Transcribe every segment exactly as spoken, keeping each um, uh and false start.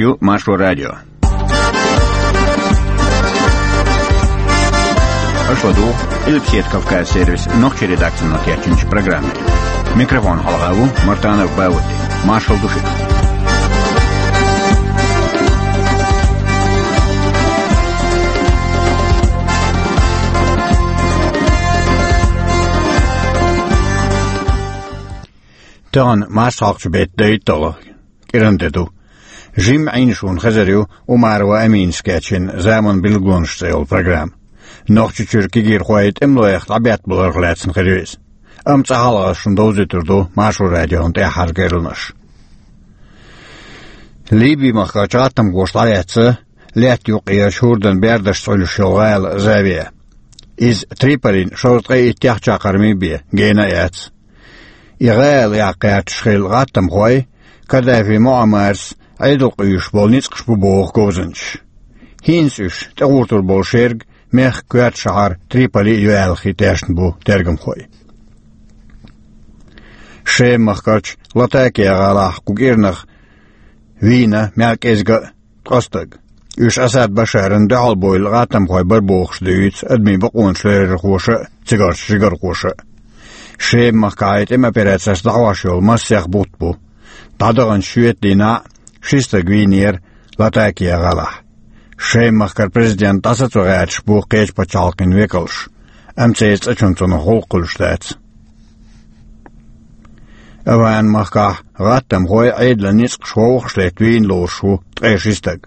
Иштта ю Маршо радио. Аша ладугӀу Къилбаседа Кавказ сервисан нохчийн редакцино кечйинчу программе. Микрофон хьалха ву Мартанов Бауди. Маршалла ду шуьга. Тахана марсхьокху беттан дейтталгӀа, кӀиранде ду. Жимма Ӏийна шуна хезар ю Умарова Аминас кечйина «Заман билгалонаш» цӀе йолу программа. Нохчийчуьра кегийрхой тӀемалойх дӀабеттабаларх лаьцна хир ю иза. Амма цкъа хьалха ас шуна довзуьйтур ду Маршо радион тӀаьххьара керланаш. Ливи-махкахь гӀаттамхоша дӀалаьцна лаьтта юккъера хӀордан бердашца Ӏуьллуш йолу гӀала Завия. Иза Триполина шовзткъе иттех чаккхарма бен гена а яц. И гӀала яккха гӀерташ хилла гӀаттамхой Каддафи Муаммарца Ӏедал къуьйсуш болу ницкъаш бу боху говзанчаша. ХӀинца уьш тӀегӀуртур болу шерга мехкан коьртачу шахьар Триполи а ю аьлла хи тешна бу тергамхой. Шема-махкарчу Латакия гӀалахь кху кӀирнах вийна мел кӀезиг а ткъа стаг. Уьш Асад Башарна дуьхьал бевлла гӀаттамхой бара бохуш дуьйцу адамийн бакъонаш ларъярхоша а, цигарчу жигархоша а. Шема-махкахь тӀеман операцеш дӀахьош йолу массех бутт бу. ДӀадаханчу шоьтан дийнахь ши стаг вийнера Латакия гӀалахь. Шема-махкара президент дӀасацо гӀерташ бу кхечу пачхьалкхийн векалш, амма церан цӀа чунна цунах гӀуллакх хуьлуш дац. Афган-махкахь гӀаттамхой Ӏедалан ницкъаш вовшахлетта вийна лоруш ву ткъе ши стаг.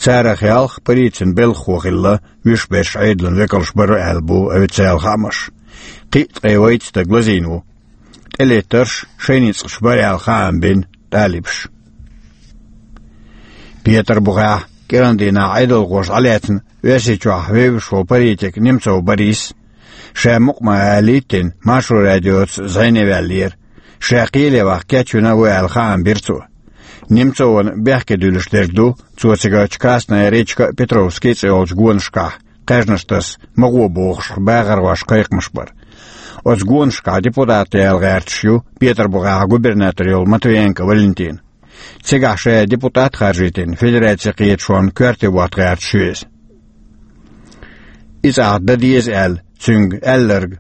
Царах ялх полицин белхахо хилла, вуьш берш Ӏедалан векалш бара аьлла бу официалан хаамаша. Кхин а ткъе вайца стаг лазийна ву. ТӀелеттарш шайн ницкъаш бара аьлла хаам бина талибаша. Петарбухехь кӀиран дийнахь Ӏедалхоша дӀалаьцна Оьрсийчохь вевзаш волу политик Немцов Борис, ша мукъа ма алийтина, Маршо радиоца зӀене ваьллера. Ша кхеле ваха кечвина а ву аьлла хаам бира цо. Немцовна бехке дуьллуш дерг ду, цо цига Красная речка а, Петровский а цӀе йолчу гонашкахь кхаьжнаш таса ма гӀо бохуш багӀархошна кхайкхамаш бар. Оцу гонашкахь депутат яла гӀерташ ю Петарбухехь губернатор йолу Матвиенко Валентин. Цигахь ша депутат харжийтина федерацин кхеташонан коьрте вотта гӀерташ ю иза. И цӀахь дан деза аьлла цуьнга аьлларг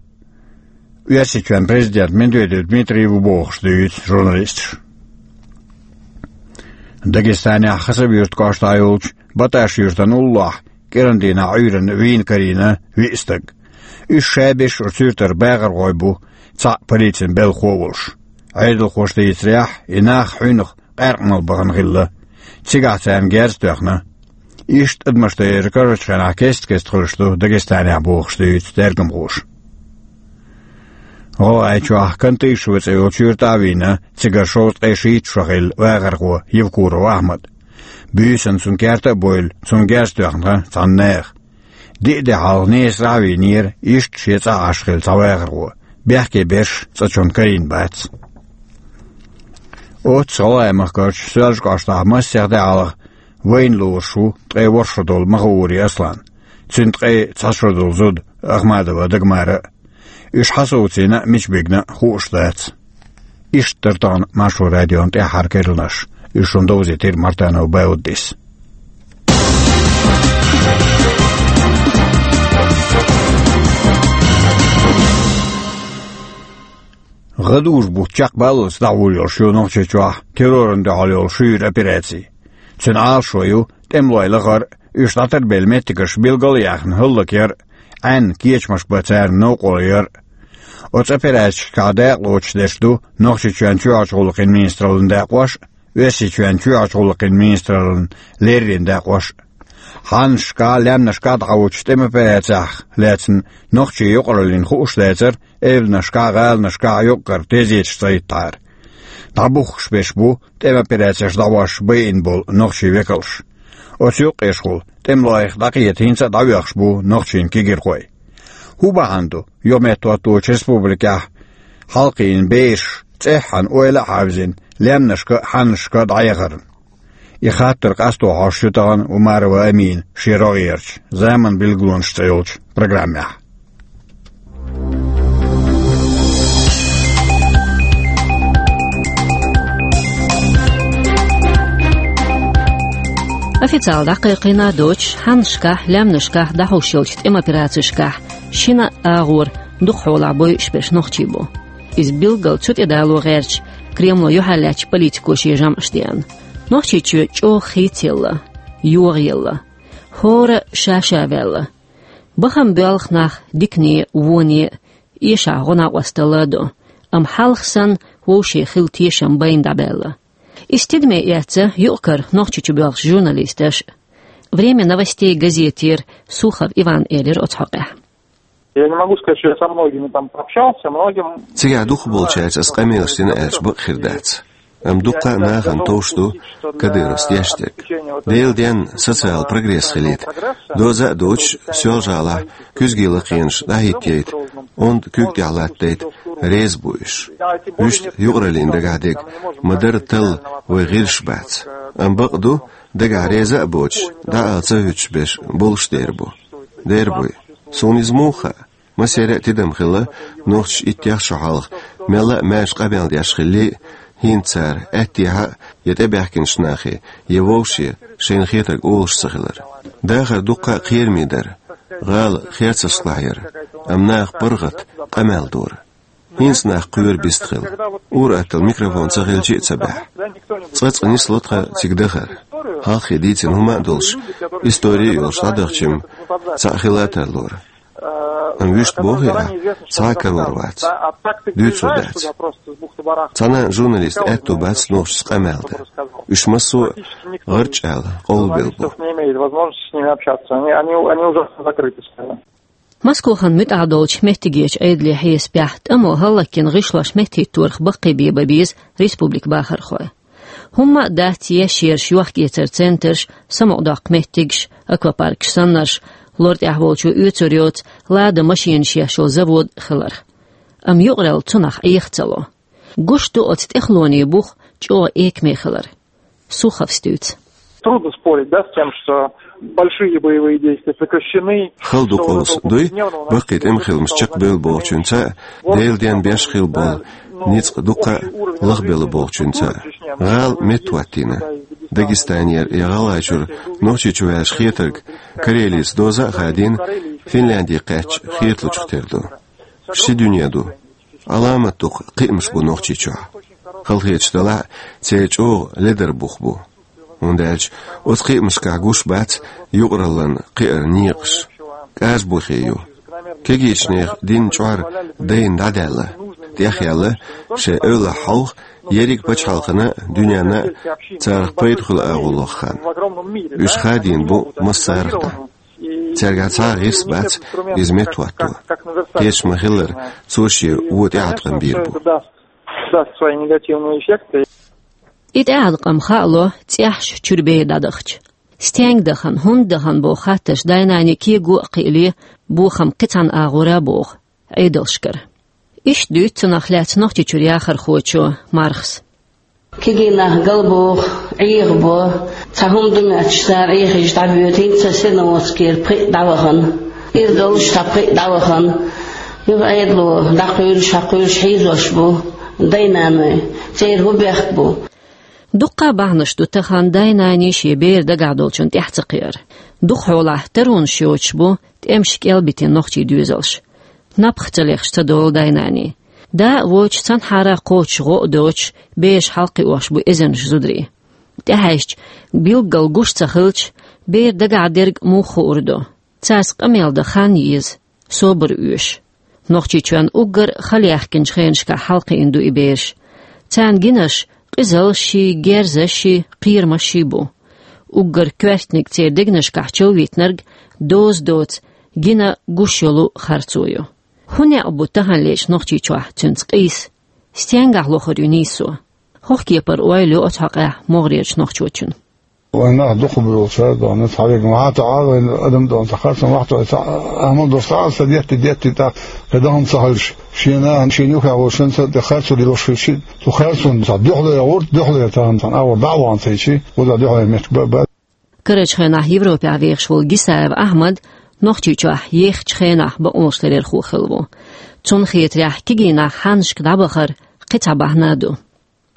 Оьрсийчоьнан президент Медведев Дмитрий ву бохуш дуьйцу журналисташа. Дагестанехь Хасавюрт кӀоштахь йолчу Баташ-Юьртан уллохь кӀиран дийнахь Ӏуьйранна вийна карийна виъ стаг. Уьш ша берш оцу юьртара багӀархой бу, цхьаъ полицин белхахо а волуш. Ӏедалхоша дийцарехь, и нах хьуьнах къаьркъа мала бахана хилла. Цигахь царна герз а тоьхна. Иштта адамаш тӀера карарчу хенахь кест-кеста хуьлуш ду Дагестанехь бохуш дуьйцу тергамхоша. ГӀалгӀайчохь Кантышево цӀе йолчу юьртахь а вийна цигара шовзткъе шийтта шо хилла вахархо Евкуров Ахьмад. Буьйсанна цуьнан керта а бевлла, цунна герз тоьхна цхьана нехан. Диъ де хьалха Несарахь а вийнера иштта шен цӀа Ӏаш хилла цхьа вахархо. Бехке берш цӀа чунна карийна бац. Оццу ГӀалгӀай-махкарчу Соьлжа кӀоштахь массех де хьалха вайна лоруш ву ткъе ворхӀ шо долу Махаури Аслан. Цуьнан ткъе цхьа шо долу зуда Ахмадова Дагмара а. Уьш хьан совцийна а, мича бигна а хууш дац. Иштта дара тахана Маршо радион тӀаьххьара керланаш. Уьш шуна довзийтира Мартанов Бауддис. ГӀадужу бутт чекхбаллалц дӀахьур йолуш ю Нохчийчохь террорна дуьхьал йолу шуьйра операци. Цуьнан Ӏалашо ю тӀемалой лахар а, уьш дӀатарбелла меттигаш билгал а яьхна хӀаллакъяр а, Ӏаьнна кечамаш бан царна новкъарло яр а. Оцу операцешкахь дакъалоцуш дерш ду Нохчийчоьнан чоьхьарчу гӀуллакхийн министраллин дакъош а, Оьрсийчоьнан чоьхьарчу гӀуллакхийн министраллин леррина дакъош а. Хьаннашкахь, лаьмнашкахь дӀахьочу тӀеман операцех лаьцна нохчийн юкъараллина хууш дацара эвланашкахь, гӀаланашкахь юкъара тезеташ цӀа хӀиттахьара. ДӀабухкуш берш бу тӀеман операцеш дӀахьош байина болу нохчийн векалш. Оцу юккъешхула тӀемалойх дӀакхета хӀинца а дӀаоьхуш бу нохчийн кегийрхой. ХӀун бахьана ду, юха меттахӀотточу республикехь хьалакхиъна бераш цӀеххьана ойла а хьаьвзина, лаьмнашка а, хьаннашка а дӀаяхарна? И хаттар къасто хьош ю тахана Умарова Амина шен рогӀерчу «Заман билгалонаш» цӀе йолчу программехь. Официалан дӀакхайкхийна доцуш, хьаннашкахь, лаьмнашкахь дӀахьуш йолчу тӀеман операцешкахь шина а агӀора дукха хьолахь бойуш берш нохчий бу. Иза билггал цу тӀедало гӀерташ, Кремло юьхьарлаьцначу политико шен жамӀаш деана. Нохчийчоь чӀогӀа хийцаелла, йогӀаелла. ХӀора ша-ша ваьлла. Бахам боьлху нах дикане, воне, эшахь гӀо-накъосталла а до, амма хьалха санна вовшийн хилла тешам байна дӀабаьлла. Иза тидаме эцна юкъ-кара Нохчийчу боьлхуш журналисташ а. «Время новостей» газетера Сухов Ивана элира оцу хьокъехь. Я не могу сказать, что я со многими там пообщался, многим... Цигахь дукхахболчаьрца ас къамелаш дина аьлча, бакъ хир дац. Амма дуккха а нахана товш ду Кадыровс деш дерг. Делан денна социал прогресс хилийта, доза а доцуш, Соьлжа-ГӀалахь куьзге лакхенаш дӀахӀиттайта, онда куьг тӀехь латтадайта реза бу уьш. Вуьшта юкъараллина дагахь дерг ма-дарра талла вайн гӀирсаш бац. Амма бакъ ду, дагахь реза а боцуш, дӀаала ца хӀуьттуш берш болуш дер бу. Дер буй. Суна иза муха хаьа? Массеран а тидам хилла, нохчаша иттех шо хьалха мелла а маьрша къамел деш хилла а, хӀинца цара, аьттехьа а, я тӀебаьхкинчу нахе, я вовше, шайна хетарг олуш ца хилар. Дахар дуккха а кхераме дара, гӀала херцаршкахь яра, амма наха паргӀат, къамел дора. ХӀинца нах кхоьру бистхила. Ур-атталла микрофон ца хилча а ца баьхьа. Цкъа-цкъа нисло тхан цига дахар. Хьалххе дийцина хӀума а долуш, истори а йолуш дӀадахча-м, цхьаъ хила а тарлора. Амма вуьшта бохий ахь, цхьа а карор вац. Дуьйцур дац. Цхьана а журналистан аьтто бац нохчашца къамел дан. Уьш массо а гӀарчӀ аьлла къовлабелла бу. Никто с ними не имеет возможности с ними общаться. Они, они, они ужасно закрыты, скажем. Москохана муьтӀахь долчу меттигерчу Ӏедале хьесапехь, тӀамо хӀаллакьхинчу гӀишлошна меттахӀитторах баккхийбе бан беза республикан бахархой. ХӀумма а дац еш ерш йохк-эцаран центраш, самукъадоккху меттигаш, аквапаркаш саннарш, лор тӀехь волчо оьцур йоцу «Лада» машенаш еш йолу завод хиларх. Амма юкъаралла цунах Ӏеха ца ло. Гуш ду оцу тӀехулонан бух чӀогӀа экаме хилар. Суховс дуьйцу. Трудно спорить, да, с тем, что большие боевые действия прекращены. Хала ду къовса, дуй, баккхий тӀеман хиламаш чекхбевлла бохучуьнца а, Делан денна беш хилла болу ницкъ дуккха а лахбелла бохучуьнца а. ГӀала меттахӀоттийна. Дагестанера я ГӀалгӀайчуьра Нохчийчу ваьлча хетарг, Карелица доза а хадийна, Финляндия кхаьчча хеталучух тера ду. Ши дуьне ду. Ӏаламат дукха кхиамаш бу Нохчийчохь. Халахеташ делахь а, церан чӀогӀа ледара бух бу. ХӀунда аьлча оцу кхиамашкахь гуш бац юкъараллин кхиаран некъаш. КӀажа бухе ю. Кегийчу нехан дин чкъор дайна дӀадаьлла, тӀехъяьлла, шайн эвлахь хьовха ерриг пачхьалкхана а, дуьненна а царах пайда хуьлу агӀо лоху хан. Уьш хадийна бу массарах а. Цаьргахь цхьа а гӀирс бац иза меттахӀотто. Кечам ма-хиллара, цо шен вон тӀеӀаткъам бийр бу. Даст свои негативные эффекты. И тӀеӀаткъам хаало цӀеххьана чуьра бер дӀадахча. Стенга дахана, хӀунда дахана боху хаттарш дай-наний кего а кхиале, бохам кхин цхьана агӀора а боху Ӏедалшкара. Иштта дуьйцу цунах лаьцна Нохчийчуьра яхархочо Мархас. Кегий нах галбоху, Ӏехабо, цхьа хӀума ду моьттуш цара Ӏехийча дӀабоьду, хӀинца Серноводскера пхиъ дӀавахана. Иза долуш цхьа пхиъ дӀавахана. Юха Ӏедало дӀакхуьйлуш, хьакхуьйлуш хьийзош бу дай-наной. Церан хӀун бехк бу? Дуккха а бахьанаш ду тахана дай-наний шен бер дагахь долчунна тӀаьхьа ца кхиар. Дукха хьолахь таронаш йоцуш бу тӀемаша кӀелбитина нохчий доьзалш. Напха ца лехаш ца долу дай-наний. Да а воцуш, цхьанхьара а кхочуш гӀо а доцуш, бераш хьалакхиош бу эзарнаш зударий. ТӀехьаьжча, билггал гуш ца хилча, бер дагахь дерг муха хуур ду? Цаьрца къамел дан хан еза, собар оьшу. Нохчийчоьнна уггар хала яьхкинчу хенашкахь хьалакхиъна ду и бераш. Царна гинарш къизаллашший, герзашший, кхерамашший бу. Уггар коьртаниг церан дегнашкахь човийтинарг доза доцу, гина гуш йолу харцо ю. ХӀун некъ бу таханлерчу Нохчийчохь цуьнца къийса? Стенгахь лохур ю нийсо? ХӀокху кепара ойла ю оцу хьокъехь могӀарерчу нохчочун. Вайн нах дукха буьйлу цара дона, цхьа веган вахьа ца Ӏа, вайн адам дона ца харцо вахьа ца, ца Ӏамал долуш ца Ӏа, ца детти, детти тӀаккха, кхин дахана ца хилча, шена, шена юххехь волчунца тӀе харцо лелош хилча, цу харцонна цхьа дуьхьале гӀурт, дуьхьале тахана цхьана агӀор дӀа а вахана ца йичи, вуза дуьхьале меттиг ба, ба. Карарчу хенахь Европехь вехаш волу Гисаев Ахьмад Нохчийчохь ехачу хенахь бакъонашларъярхо хилла ву. Цунна хетарехь, кегий нах хьаннашка дӀабахар кхин цхьа бахьана а ду.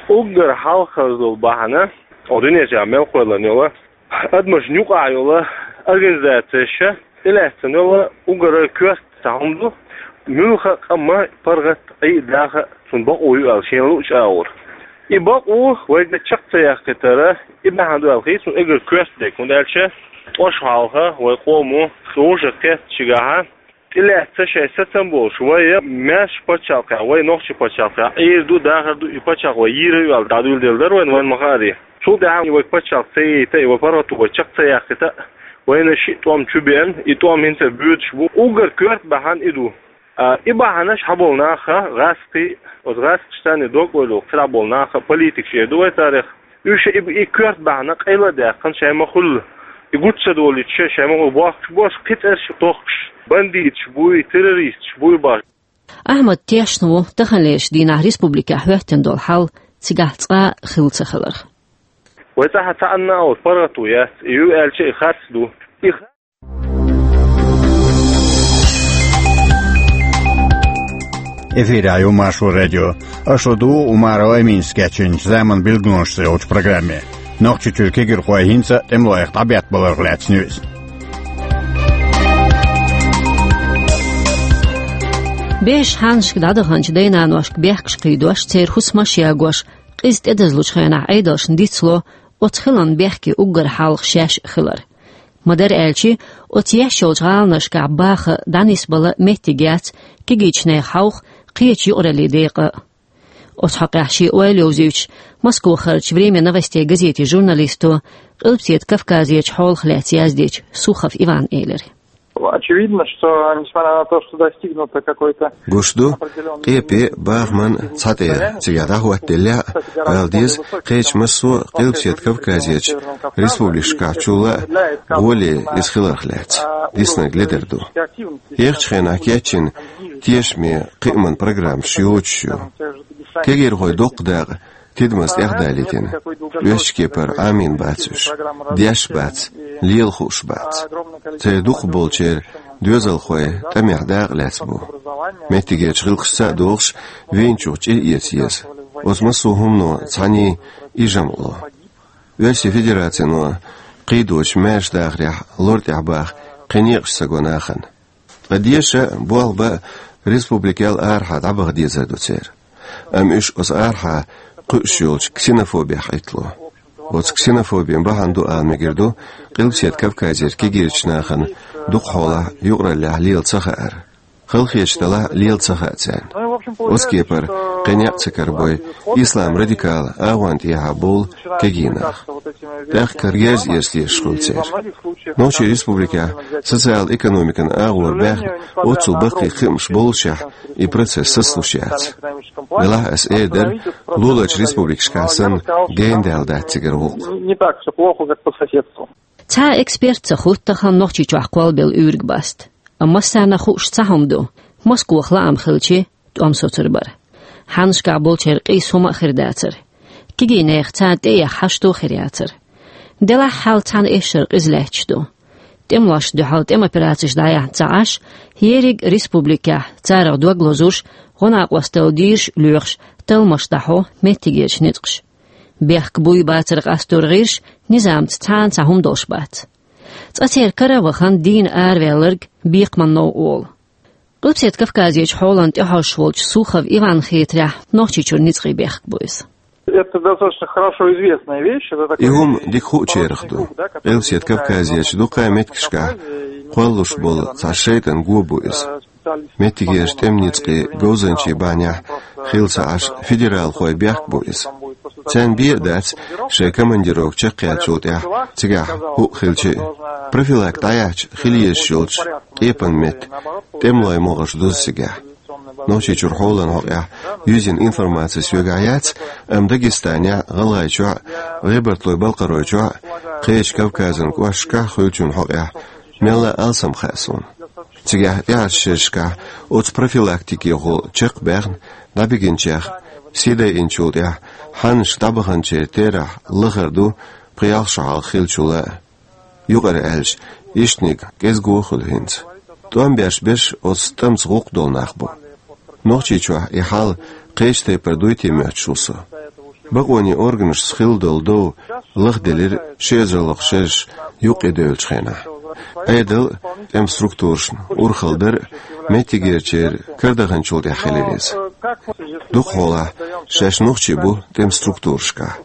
Уггар хьалхара долу бахьана, о, дуьнен чохь мел кхоьллина йолу, Адамашна юкъахь йолу организацеша тӀелаьцна йолу уггар коьрта цхьа хӀума ду, муьлхха а къаман паргӀат, Ӏий а, даха а цунна бакъо ю аьлла, шена луъучу агӀор. И бакъо вайга чекх ца яккхийтара, и бахьана ду аьлла хета суна уггар коьрта дерг, хӀунда аьлча тӀош хьалха вай къомо чӀогӀа кхеттачигахьа тӀелаьцна шайн сацам болуш, вай маьрша пачхьалкхехь, вай нохчийн пачхьалкхехь Ӏийр ду, дахар ду, и пачхьалкх вай йийр ю аьлла дӀадуьйладелла дара вайна, вайна ма-хаъара. Цул тӀаьхьа и вай пачхьалкх ца яйта, и вай паргӀато вай чекх ца яккхийта, вайна шиъ тӀом чу беана, и тӀом хӀинца а боьдуш бу. Уггар коьрта бахьана и ду. А, и бахьанаш хьаболу наха гӀаскхий, оцу гӀаскхаша царна дог-ойла йолу, царахь болу наха политикаш эр ду вай царах. Уьш и, и коьрта бахьана къайла а даьккхина, шайн ма-хуьллу, и гучу ца долуьйтуш, шайн ма-хуьллу бохкуш болуш, кхин цӀераш тохкуш, бандиташ буй, террористаш буй бохуш. Ахьмад тешна ву таханлерчу дийнахь республикехь хӀоьттина долу хьал цигахь цкъа а хилла ца хиларх. Вай цӀахь цхьа а оцу паргӀато яц, и ю аьлча, и харц ду. И Эфирехь ю Маршо радио. Аша ду Умарова Аминас кечйинчу «Заман билгалонаш» цӀе йолчу программе. Нохчийчуьра кегийрхой хӀинца а тӀемалойх дӀабеттабаларх лаьцна ю иза. Бежаш хьаннашка дӀадаханчу дай-наношка бехкаш кхийдош, церан хӀусамаш а ягош, къиза тӀедазлучу хенахь Ӏедалшна дицло оцу хиларна бехке уггар хьалха шаьш а хилар. Ма-дарра аьлча, оцу еш йолчу гӀаланашкахь баха а, дӀанисбала а меттиг яц кегийчу нехан хьовха, кхечу юкъараллин декъа а. Оцу хьокъехь шен ойла йовзуьйтуш, Москвахарчу «Время новостей» газетин журналисто, Къилбаседа Кавказерчу хьолах лаьцна яздечу Сухов Ивана элира. Очевидно, что, несмотря на то, что достигнуто какой-то... Гуш ду, къепе а, бахаман а цхьа тӀера цигахь дӀахӀоттаделлехь а, ала деза, кхечу массо а Къилбаседа Кавказерчу республикашкахь чулла а гӀоле иза хиларх лаьцна диснарг ледара ду. Ехачу хенахь кечйина тешаме кхиаман программаш йоцуш ю. Кегийрхой дуккха дакъа тидамаза тӀехдалийтина. Оьшучу кепара Ӏамийна бац уьш. Деш бац, лела хууш бац. Церан дукхахболчеран доьзалхой тӀамехь дакъа лаьцна бу. Меттигерчу гӀиллакхашца а догӀуш, вийначух чӀир эца еза. Оцу массо а хӀумано цхьаьний и жамӀ ло. Оьрсийн Федерацино кхийдочу маьрша дахарехь лор тӀехь баха кхин некъаш ца го нахана. Ткъа деша а, болх бан а республикел арахьа дӀабаха дезар ду церан. Амма уьш оцу арахьа кхуьуш йолчу ксенофобех Ӏиттало. Оцу ксенофобин бахьана ду ала мегар ду Къилбаседа Кавказера кегийрачу нахана дукхахьолахь юкъараллехь лела ца хаар. Халахеташ далахь а лела ца хаьа царна. Оцу кепара кхин некъ ца карабой ислам радикалан агӀонна тӀехьа болу кегий нах. ТӀаккха герз эца дезаш хуьлу церан. Нохчийн республикехь социал-экономикан агӀор баьхна оццул баккхий кхиамаш боллушехь, и процесс сацалуш яц. Делахь аса эр дара, луларчу республикашкахь санна, гена даьлла дац цигара гӀуллакх. Не так всё плохо, как по соседству. Цхьа а эксперт ца хӀутту тахана Нохчийчохь кхоллабелла уьйриг баста. Амма массарна хууш цхьа хӀума ду: Москвах лаам хилчи, тӀом соцур бара. Хьаннашкахь болчеран къийса хӀума а хир дацара. Кегийнехан царна тӀеэха хьашто хир яцара. Делахь хьал цхьана эшшара къиза лаьтташ ду. ТӀемалошна дуьхьал тӀеман операцеш дӀаяьхьна ца Ӏаш, ерриг республикехь царах дог лозуш, гӀо-накъосталла дийраш а лоьхуш, талламаш дӀахьо меттигерчу ницкъаша. Бехк буй-бацар къастор гӀирс низамца цхьана цхьа хӀума долуш бац. Цкъа церан кара а вахана дийна араваьлларг бекхаман новкъа волу. Къилбаседа Кавказерчу хьолан тӀехьожуш волчу Сухов Иванна хетарехь, Нохчийчуьра ницкъийн бехк бу иза. Это достаточно хорошо известная вещь. Это такой... И хӀума дика хуучарах ду. Къилбаседа Кавказерчу дуккха а меттигашкахь кхоллалуш болу цхьа шайтӀан го бу иза. Меттигерчу тӀеман ницкъийн говзанчийн бахьанехь хилла ца Ӏаш, федералхойн бехк бу иза. Царна бен а дац шайн командировка чекхъяьллачул тӀаьхьа цигахь хӀуъа хилча а. Профилактика дӀаяьхьча хила езаш йолчу къепанан метта тӀемалойн могӀарш дузу цигахь. Нохчийчуьра хьолан хьокъехь юьззина информаци соьгахь яц, амма Дагестанехь а, ГӀалгӀайчохь а, ГӀебартойн-Балкхаройчохь а, кхечу Кавказан кӀошташкахь а хуьлучун хьокъехь мелла а алсам хаьа суна. Цигахь тӀаьхьарчу шерашкахь оцу профилактикехула чекх а баьхна, дӀабигинчех сий дайинчул тӀаьхьа хьаннашка дӀабаханчеран терахь лахара ду пхи-ялх шо хьалха хиллачул а. Юкъара аьлча, ишттаниг кӀезиго а хуьлу хӀинца. ТӀом беш берш оцу тӀамца гӀуллакх долу нах бу. Нохчийчохь и хьал кхечу тайпара дуй те моьттуш ву со. Бакъоне органашца хилла долу дов лахделира ши эзар лоьхуш шераш юккъе девллачу хенахь. Ӏедал а, тӀеман структурашна урхалла дар а меттигерчеран карадаханчул тӀаьхьа хилира иза. Дукхахьолахь шаьш нохчий бу тӀеман структурашкахь.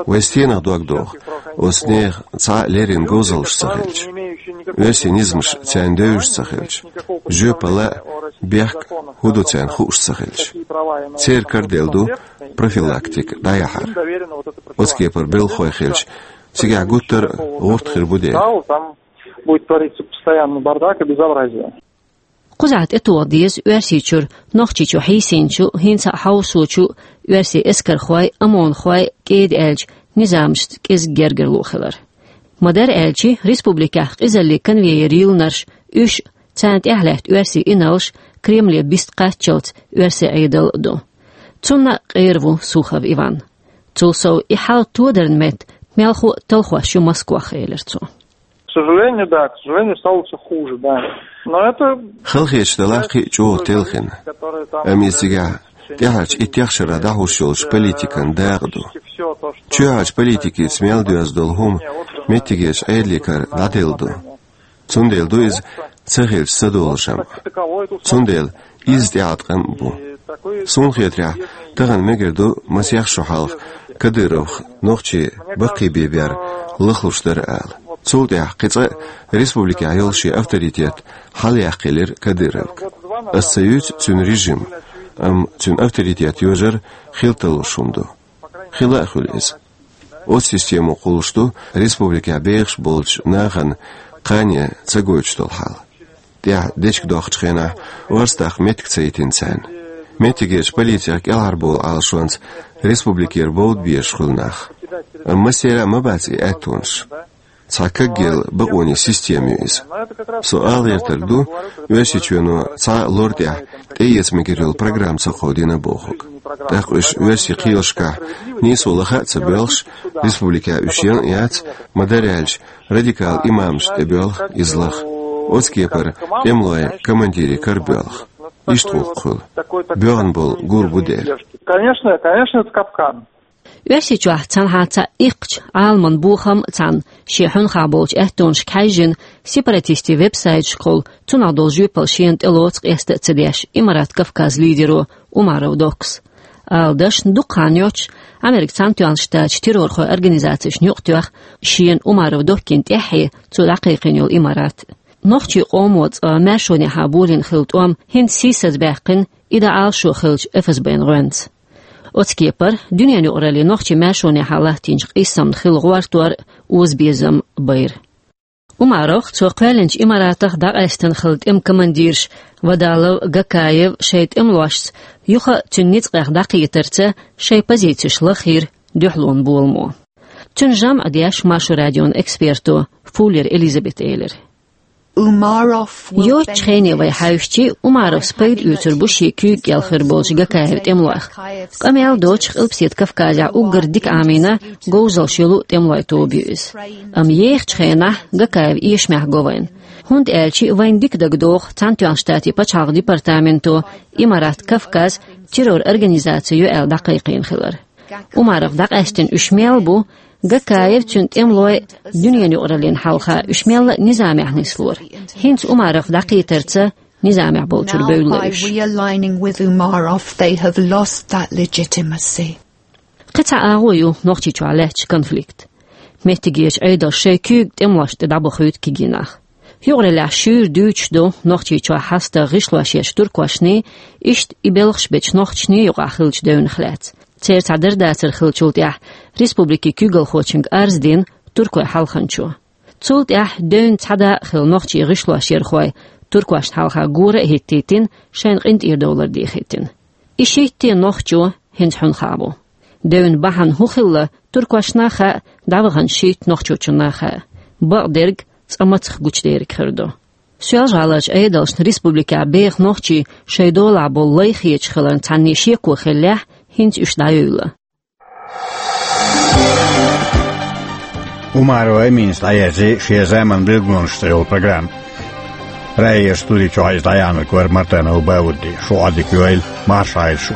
Вай стенах дог доху, оцу нехан цхьа а леррина говзаллаш ца хилча, оьрсийн низамаш царна девзаш ца хилча, жоьпалла а, бехк а хӀун ду царна хууш ца хилча. Церан кара делла ду профилактика дӀаяхьар. Оцу кепара белхалой хилча, цигахь гуттар а гӀурт хир бу дела. Там будет твориться постоянно бардак и безобразие. Кхузахь тӀетоха деза Оьрсийчуьра Нохчийчу хьийсинчу, хӀинца а хьовсочу оьрсийн эскархойн, ОМОНхойн, кӀеда аьлча, низамашца кӀезиг гергарло хилар. Ма-дарра аьлча, республикехь къизаллин конвейер йиллинарш, уьш, царна тӀехьа лаьтта оьрсийн инарлш Кремле биста кхаччалц оьрсийн Ӏедал а ду. Цунна а къера ву Сухов Иван. Цул сов, и хьал тодаран метта мелхо а талхош ю Москвахь, элира цо. К сожалению, да, к сожалению, стало всё хуже, да. Но это... Халахеташ делахь кхин а чӀогӀа телхина. Амма иза цигахь тӀаьхьарчу иттех шарахь дӀахьуш йолчу политикан дакъа ду. Чоьхьарчу политикица мел доьзна долу хӀума меттигерчу Ӏедалан кара дӀаделла ду. Цундела ду иза ца хилча ца долуш а. Цундела изза тӀеӀаткъам а бу. Суна хетарехь, тахана мегар ду масех шо хьалха Кадыровх нохчий баккхийбе бер лахлуш дара ала. Цул тӀаьхьа кхин цкъа а республикехь йолу шен авторитет хьалаяьккхийлира Кадыровга. Ас ца юьйцу цуьнан режим, амма цуьнан авторитет йожар хила талуш хӀума ду. Хила а хуьлу иза. Оцу системо кхуллуш ду республикехь бехаш болчу нахана кхане ца гойтуш долу хьал. ТӀаьхьа дечиг доккхучу хенахь орца даккха меттиг ца йитина царна. Меттигерчу полицех кӀелхьарбовлу Ӏалашонца республикера бовда безаш хуьлу нах. Амма массеран а ма бац и аьттонаш. Цхьа кагъелла бакъонийн система ю иза. Со ала гӀертарг ду, Оьрсийчоьно цхьа а лор тӀехь тӀеэца мегар йолу программа ца кховдийна бохург. ТӀаккха уьш оьрсийн кхелашкахь нийсо лаха а ца боьлхуш, республикехь уьш ян а яц, ма-дарра аьлча, радикал имамашна тӀебоьлху иза лаха. Оцу кепара тӀемалойн командирийн кара боьлху. Иштта гӀуллакх хуьлу. БоьгӀна болу гур бу дела. Конечно, конечно, это капкан. Оьрсийчохь цхьанхьа цхьа иккхачу Ӏаламан бохам а цхьаьна шен хьуьнхахь болчу аьттонашка хьаьжжина, сепаратистийн веб-сайташкахула цунах долу жоьпалла шена тӀелоцу къаста а ца деш Имарат Кавказ лидеро Умаров Доккас. Ала дашна, дукха хан йоццуш Америкин Цхьаьнатоьхна Штаташ террорхойн организацешна юкъатоьхна шена Умаров Доккина тӀаьххье цо дӀакхайкхийна йолу Имарат. Нохчийн къомо цкъа маьршонехьа болийна хилла тӀом хӀинца сийсазбаьккхина и дӀаала шо хиллачу ФСБ-н гӀоьнца. Оцу кепара дуьненан юкъараллин нохчийн маьршонехьа латтийначу къийсамна хилла гӀортор а, озабезам а байра. Умаровх, цо кхоьллинчу Имаратах дӀакъаьстина хилла тӀеман командирш Вадалов, Гакаев шайн тӀемалошца юха а цуьнан ницкъех дӀакхетарца шайн позицеш лахйира дуьхьалонан боламо. Цуьнан жамӀ деш Маршо радион эксперто Фуллер Элизабета элира. Умаров will... Йоцчу хене вай хьаьвсичи, Умаровс пайда оьцур бу шен куьйга кӀел хир болчу Гакаевн тӀемалойх. Къамел доцуш Къилбаседа Кавказехь уггар дика Ӏамийна, говзаллаш йолу тӀемалойн тоба ю иза. Амма ехачу хенахь Гакаев эшамехь го вайна. ХӀунда аьлча вайна дика дагадогӀу Цхьаьнатоьхна Штатийн пачхьалкхан департаменто Имарат Кавказ террор организаци ю аьлла дӀакхайкхийна хилар. Умаровх дӀакъаьстина уьш мел бу, Гакаев, цуьнан тӀемалой дуьненан юкъараллин хьалха уьш мелла а низамехь нислора. ХӀинца Умаровх дӀакхетарца низамехь болчуьра бевлла уьш. Now, by realigning with Umarov, they have lost that legitimacy. Кхин цхьа агӀо ю Нохчийчохь лаьтташ конфликт. Меттигерчу Ӏедалша шайн куьйга тӀемалошна тӀе дӀабахуьйту кегий нах. Юкъараллехь шуьйра дуьйцуш ду Нохчийчохь хьаста гӀишлош еш туркошний, иштта и белхаш бечу нохчашний юкъахь хиллачу девнах лаьцна. Церан цхьа дарбанар хиллачул тӀаьхьа республикин куьйгалхочуьнга арз дина туркойн хьалханчо. Цул тӀаьхьа девнан цхьа дакъа хилла нохчийн гӀишлош ярхой туркошна хьалха гора а хӀиттийтина, шайна къинтӀера довлар дехийтина. И шийтта нохчо хӀинца хьуьнхахь бу. Девнан бахьана хӀун хилла туркошна а хаьа, дӀаваханчу шийтта нохчочунна а хаьа. Бакъдерг цкъа мацах гучудерг хир ду. Соьлжа-ГӀаларчу Ӏедалшна республикехь беха нохчий шайн долахь болу лай хеташ хиларна цхьанне шеко хиллехь, хӀинца уьш дӀайуьйла. Умарова Эминас дӀаерзий «Шен заманан билгалонаш» цӀе йолу программа. Раиерчу студи чохь иза дӀаяьхьнарг вара Мартанов Баудди. Шун Ӏодика йойла, марша Ӏойла шу.